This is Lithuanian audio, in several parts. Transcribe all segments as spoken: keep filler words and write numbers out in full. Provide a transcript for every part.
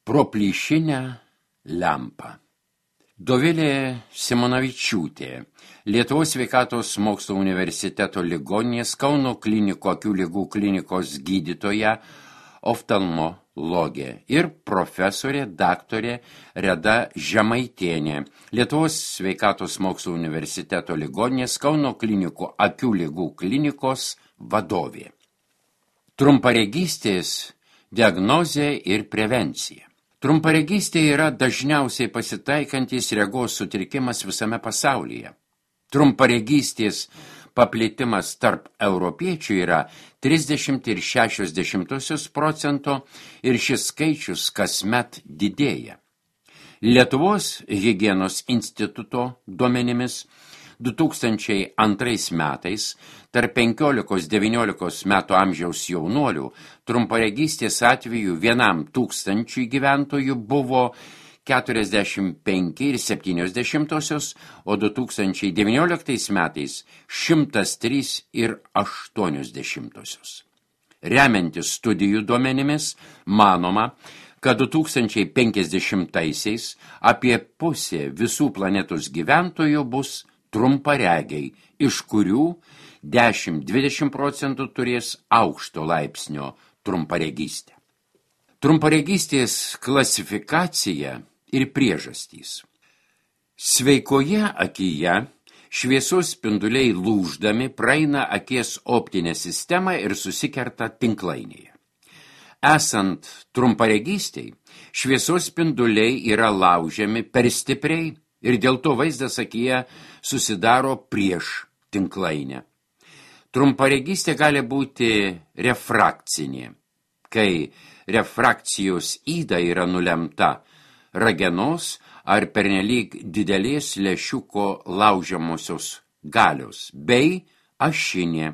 Pro plyšinę lempą. Dovilė Simonavičiūtė, Lietuvos sveikatos mokslo universiteto ligoninės Kauno klinikų akių ligų klinikos gydytoja, oftalmologė ir profesorė daktarė Reda Žemaitienė, Lietuvos sveikatos mokslo universiteto ligoninės Kauno klinikų akių ligų klinikos vadovė. Trumparegystės diagnozė ir prevencija. Trumparegystė yra dažniausiai pasitaikantis regos sutrikimas visame pasaulyje. Trumparegystės paplitimas tarp europiečių yra trisdešimt ir šešios dešimtosios procento ir šis skaičius kasmet didėja. Lietuvos higienos instituto duomenimis du tūkstančiai antrais metais tarp penkiolikos devyniolikos metų amžiaus jaunuolių trumparegystės atvejų vienam tūkstančiui gyventojų buvo keturiasdešimt penki ir septynios dešimtosios, o du tūkstančiai devynioliktais metais šimtas trys ir aštuonios dešimtosios. Remiantis studijų duomenimis, manoma, kad du tūkstančiai penkiasdešimtaisiais apie pusė visų planetos gyventojų bus trumparegiai, iš kurių dešimt dvidešimt procentų turės aukšto laipsnio trumparegystę. Trumparegystės klasifikacija ir priežastys. Sveikoje akyje šviesos spinduliai lūždami praeina akies optinę sistemą ir susikerta tinklainėje. Esant trumparegystiai, šviesos spinduliai yra laužiami per stipriai ir dėl to vaizdas akyje susidaro prieš tinklainę. Trumparegystė gali būti refrakcinė, kai refrakcijos yda yra nulemta ragenos ar pernelyg didelės lęšiuko laužiamosios galios, bei ašinė,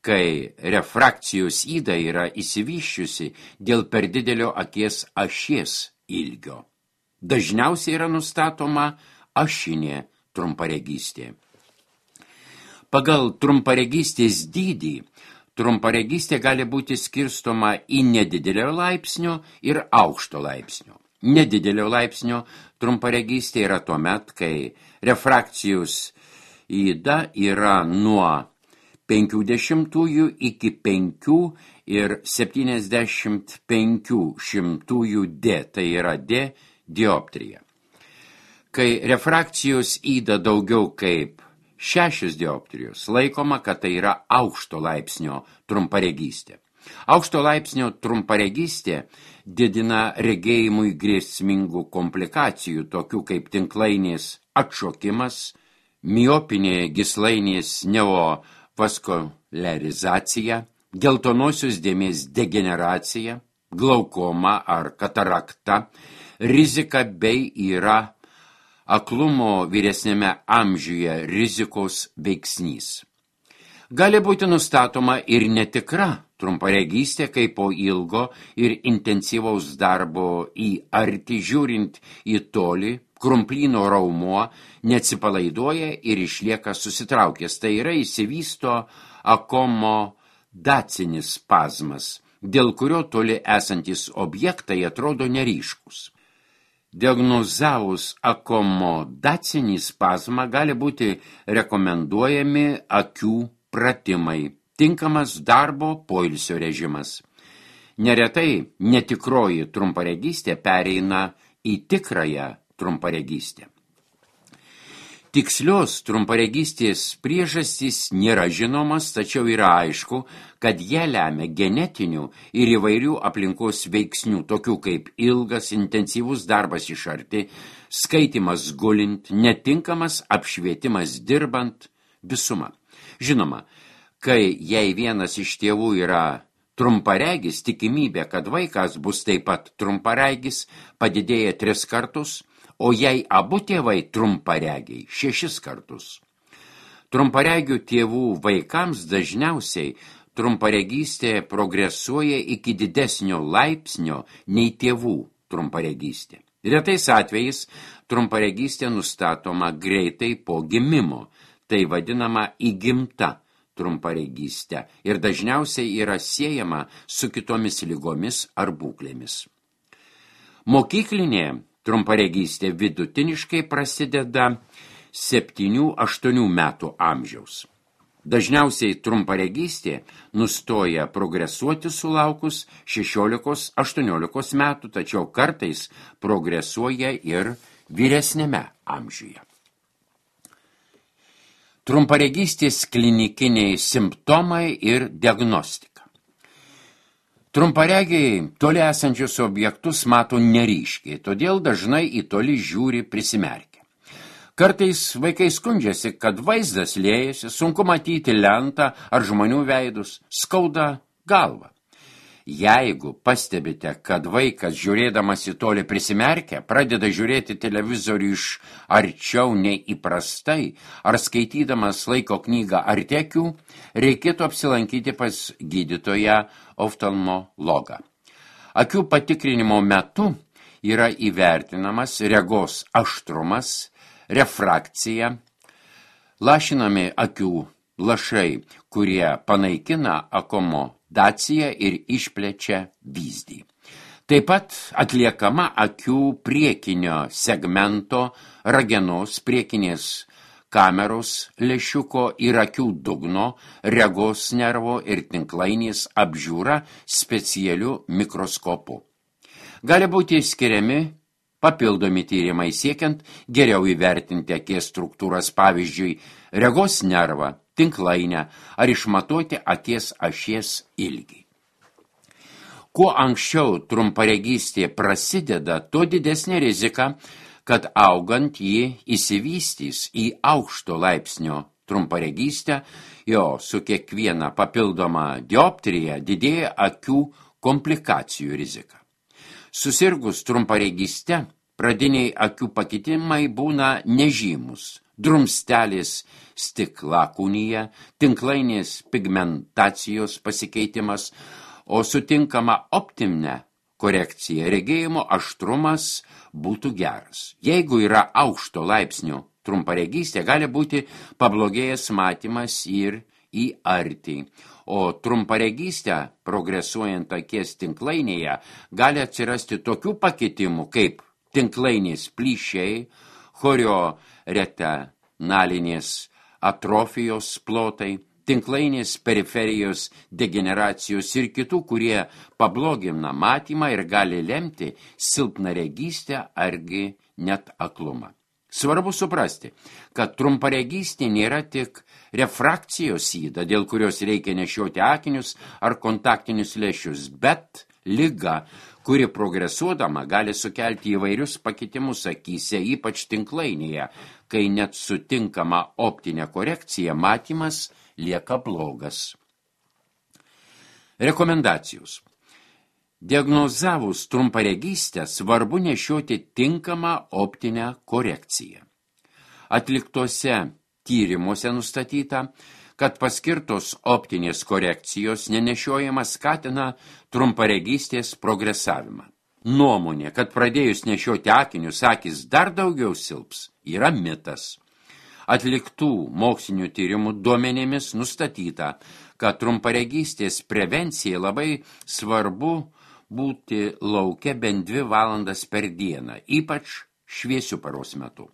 kai refrakcijos yda yra išsivysčiusi dėl per didelio akies ašies ilgio. Dažniausiai yra nustatoma ašinė trumparegystė. Pagal trumparegystės dydį trumparegystė gali būti skirstoma į nedidelio laipsnio ir aukšto laipsnio. Nedidelio laipsnio trumparegystė yra tuomet, kai refrakcijos yda yra nuo penkių dešimtųjų iki penkių ir septyniasdešimt penkių šimtųjų D, tai yra D dioptrija. Kai refrakcijos yda daugiau kaip šešios dioptrijos, laikoma, kad tai yra aukšto laipsnio trumparegystė. Aukšto laipsnio trumparegystė didina regėjimui grėsmingų komplikacijų, tokių kaip tinklainės atšokimas, miopinė gyslainės neovaskularizacija, geltonosios dėmės degeneracija, glaukoma ar katarakta, rizika bei yra aklumo vyresnėme amžiuje rizikos veiksnys. Gali būti nustatoma ir netikra trumparegystė, kai po ilgo ir intensyvaus darbo į arti žiūrint į tolį, krumplyno raumuo neatsipalaiduoja ir išlieka susitraukęs. Tai yra išsivysto akomodacinis spazmas, dėl kurio toli esantis objektai atrodo neryškus. Diagnozavus akomodacinį spazmą gali būti rekomenduojami akių pratimai, tinkamas darbo poilsio režimas. Neretai netikroji trumparegystė pereina į tikrąją trumparegystę. Tikslios trumparegystės priežastys nėra žinomas, tačiau yra aišku, kad jie lemia genetinių ir įvairių aplinkos veiksnių, tokių kaip ilgas, intensyvus darbas iš arti, skaitimas gulint, netinkamas apšvietimas dirbant, visuma. Žinoma, kai jei vienas iš tėvų yra trumparegis, tikimybė, kad vaikas bus taip pat trumparegis, padidėja tris kartus, o jei abu tėvai trumparegiai šešis kartus. Trumparegių tėvų vaikams dažniausiai trumparegystė progresuoja iki didesnio laipsnio nei tėvų trumparegystė. Retais atvejais trumparegystė nustatoma greitai po gimimo, tai vadinama įgimta trumparegystė ir dažniausiai yra siejama su kitomis ligomis ar būklėmis. Mokyklinė trumparegystė vidutiniškai prasideda septynių aštuonių metų amžiaus. Dažniausiai trumparegystė nustoja progresuoti sulaukus šešiolikos aštuoniolikos metų, tačiau kartais progresuoja ir vyresnėme amžiuje. Trumparegystės klinikiniai simptomai ir diagnostika. Trumparegiai toli esančius objektus mato neryškiai, todėl dažnai į toli žiūri prisimerkę. Kartais vaikai skundžiasi, kad vaizdas liejasi, sunku matyti lentą ar žmonių veidus, skauda galvą. Jeigu pastebite, kad vaikas žiūrėdamas į tolį prisimerkę, pradeda žiūrėti televizorių iš arčiau nei įprastai, ar skaitydamas laiko knygą ar tekių, reikėtų apsilankyti pas gydytoją oftalmologą. Akių patikrinimo metu yra įvertinamas regos aštrumas, refrakcija, lašinami akių lašai, kurie panaikina akomodaciją ir išplečia vyzdį. Taip pat atliekama akių priekinio segmento, ragenos, priekinės kameros lęšiuko ir akių dugno, regos nervo ir tinklainės apžiūra specialiu mikroskopu. Gali būti skiriami papildomi tyrimai siekiant geriau įvertinti akies struktūras, pavyzdžiui, regos nervą, tinklainę ar išmatuoti akies ašies ilgį. Kuo anksčiau trumparegystė prasideda, tuo didesnė rizika, kad augant ji įsivystys į aukšto laipsnio trumparegystę, jo su kiekviena papildoma dioptrija didėja akių komplikacijų rizika. Susirgus trumparegyste, pradiniai akių pakitimai būna nežymus, drumstelės stiklakūnyje, tinklainės pigmentacijos pasikeitimas, o sutinkama optinė korekcija regėjimo aštrumas būtų geras. Jeigu yra aukšto laipsnio trumparegystė, gali būti pablogėjęs matymas ir į artį, o trumparegystę progresuojant akies tinklainėje gali atsirasti tokių pakitimų kaip tinklainės plyšiai, chorioretenalinės atrofijos plotai, tinklainės periferijos degeneracijos ir kitų, kurie pablogina matymą ir gali lemti silpnaregystę argi net aklumą. Svarbu suprasti, kad trumparegystė nėra tik refrakcijos yda, dėl kurios reikia nešioti akinius ar kontaktinius lęšius, bet liga, kuri progresuodama gali sukelti įvairius pakitimus akyse, ypač tinklainėje, kai net sutinkama optinė korekcija matymas lieka blogas. Rekomendacijos. Diagnozavus trumparegystę svarbu nešioti tinkamą optinę korekciją. Atliktose tyrimuose nustatyta, kad paskirtos optinės korekcijos nenešiojimas skatina trumparegystės progresavimą. Nuomonė, kad pradėjus nešioti akinius akys dar daugiau silps, yra mitas. Atliktų mokslinių tyrimų duomenimis nustatyta, kad trumparegystės prevencijai labai svarbu būti lauke bent dvi valandas per dieną, ypač šviesių paros metu.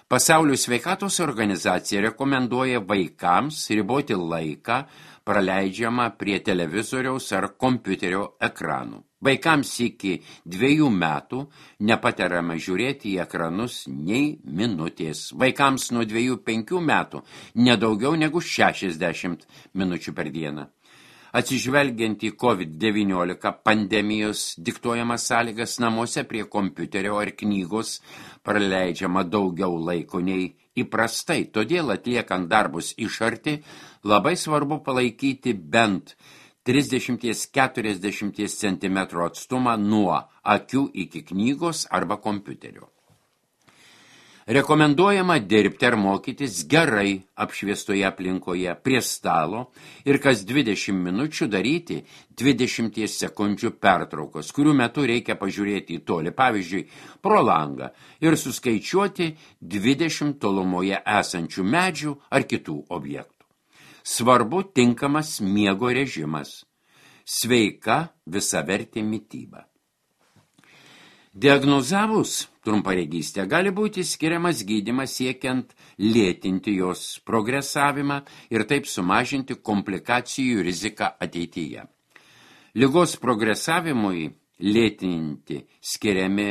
Pasaulio sveikatos organizacija rekomenduoja vaikams riboti laiką praleidžiamą prie televizoriaus ar kompiuterio ekranų. Vaikams iki dviejų metų nepatariama žiūrėti į ekranus nei minutės. Vaikams nuo dviejų penkių metų nedaugiau negu šešiasdešimt minučių per dieną. Atsižvelgiant į COVID devyniolika pandemijos diktuojamas sąlygas, namuose prie kompiuterio ar knygos praleidžiama daugiau laiko nei įprastai. Todėl atliekant darbus iš arti labai svarbu palaikyti bent trisdešimt iki keturiasdešimt centimetrų atstumą nuo akių iki knygos arba kompiuterio. Rekomenduojama dirbti ar mokytis gerai apšviestoje aplinkoje prie stalo ir kas dvidešimt minučių daryti dvidešimt sekundžių pertraukos, kurių metu reikia pažiūrėti į tolį, pavyzdžiui, pro langą ir suskaičiuoti dvidešimt tolumoje esančių medžių ar kitų objektų. Svarbu tinkamas miego režimas, sveika visavertė mityba. Diagnozavus trumparegystę gali būti skiriamas gydymas siekiant lėtinti jos progresavimą ir taip sumažinti komplikacijų riziką ateityje. Ligos progresavimui lėtinti skiriami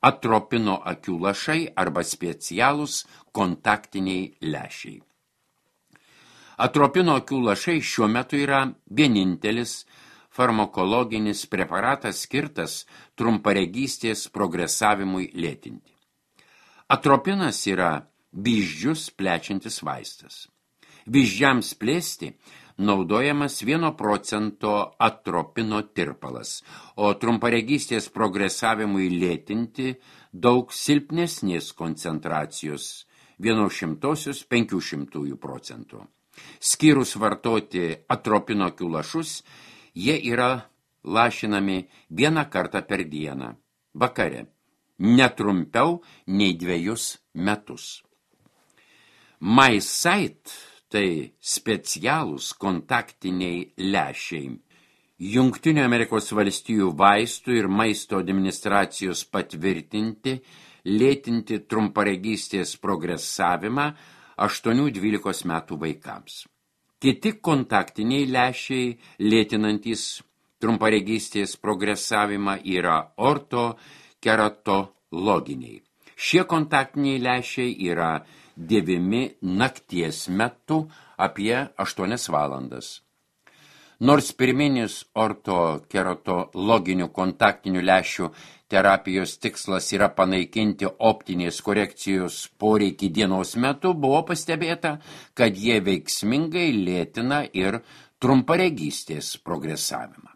atropino akių lašai arba specialūs kontaktiniai lęšiai. Atropino akių lašai šiuo metu yra vienintelis farmakologinis preparatas skirtas trumparegystės progresavimui lėtinti. Atropinas yra vyzdžius plečiantis vaistas. Vyzdžiams plėsti naudojamas vieno procento atropino tirpalas, o trumparegystės progresavimui lėtinti daug silpnesnės koncentracijos vienos šimtosios penkių šimtųjų procentų. Skyrus vartoti atropino akių lašus, jie yra lašinami vieną kartą per dieną, vakare, netrumpiau nei dviejus metus. MySight tai specialūs kontaktiniai lęšiai. Jungtinių Amerikos valstijų vaistų ir maisto administracijos patvirtinti, lėtinti trumparegystės progresavimą aštuonių dvylikos metų vaikams. Kiti kontaktiniai lęšiai lėtinantys trumparegystės progresavimą yra ortokeratologiniai. Šie kontaktiniai lęšiai yra dėvimi nakties metu apie aštuonias valandas. Nors pirminis ortokeratologinių kontaktinių lęšių terapijos tikslas yra panaikinti optinės korekcijos poreikį dienos metu, buvo pastebėta, kad jie veiksmingai lėtina ir trumparegystės progresavimą.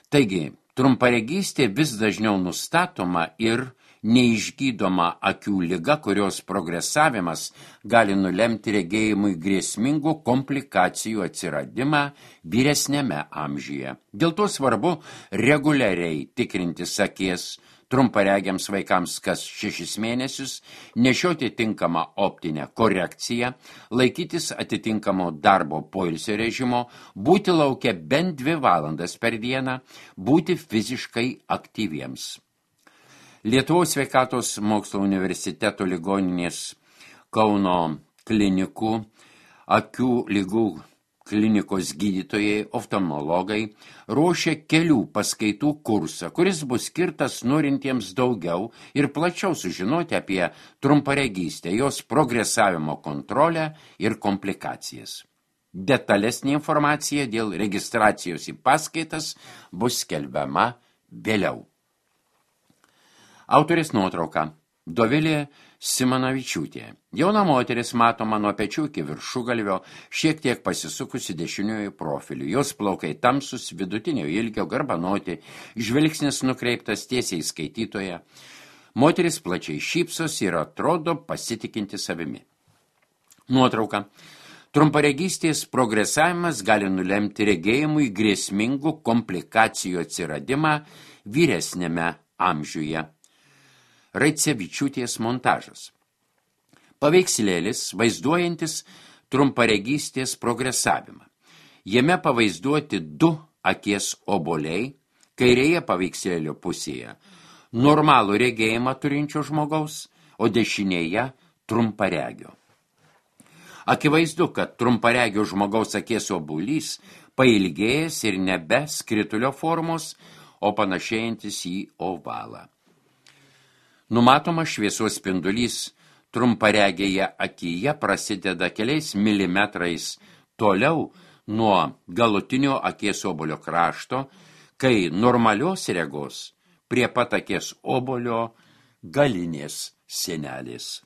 Taigi, trumparegystė vis dažniau nustatoma ir neišgydoma akių liga, kurios progresavimas gali nulemti regėjimui grėsmingų komplikacijų atsiradimą vyresniame amžiuje. Dėl to svarbu reguliariai tikrintis akies trumparegiams vaikams kas šešis mėnesius, nešioti tinkamą optinę korekciją, laikytis atitinkamo darbo poilsio režimo, būti lauke bent dvi valandas per dieną, būti fiziškai aktyviems. Lietuvos sveikatos mokslo universiteto ligoninės Kauno klinikų, akių ligų klinikos gydytojai, oftalmologai ruošia kelių paskaitų kursą, kuris bus skirtas norintiems daugiau ir plačiau sužinoti apie trumparegystę, jos progresavimo kontrolę ir komplikacijas. Detalesnė informacija dėl registracijos į paskaitas bus skelbiama vėliau. Autorės nuotrauka. Dovilė Simanavičiūtė. Jauna moteris matoma nuo pečių iki viršugalvio, šiek tiek pasisukusi dešiniuoju profiliu. Jos plaukai tamsus, vidutinio ilgio, garbanoti, žvilgsnis nukreiptas tiesiai skaitytoje. Moteris plačiai šypsos ir atrodo pasitikinti savimi. Nuotrauka. Trumparegystės progresavimas gali nulemti regėjimui grėsmingų komplikacijų atsiradimą vyresniame amžiuje. Raicevičiūtės montažas. Paveikslėlis vaizduojantis trumparegystės progresavimą. Jame pavaizduoti du akies obuoliai, kairėje paveikslėlio pusėje normalų regėjimą turinčio žmogaus, o dešinėje trumparegio. Akivaizdu, kad trumparegio žmogaus akies obuolys pailgėjęs ir nebe skritulio formos, o panašėjantis į ovalą. Numatoma šviesos spindulys trumparegėje akyje prasideda keliais milimetrais toliau nuo galutinio akies obuolio krašto, kai normalios regos prie pat akies obuolio galinės sienelės.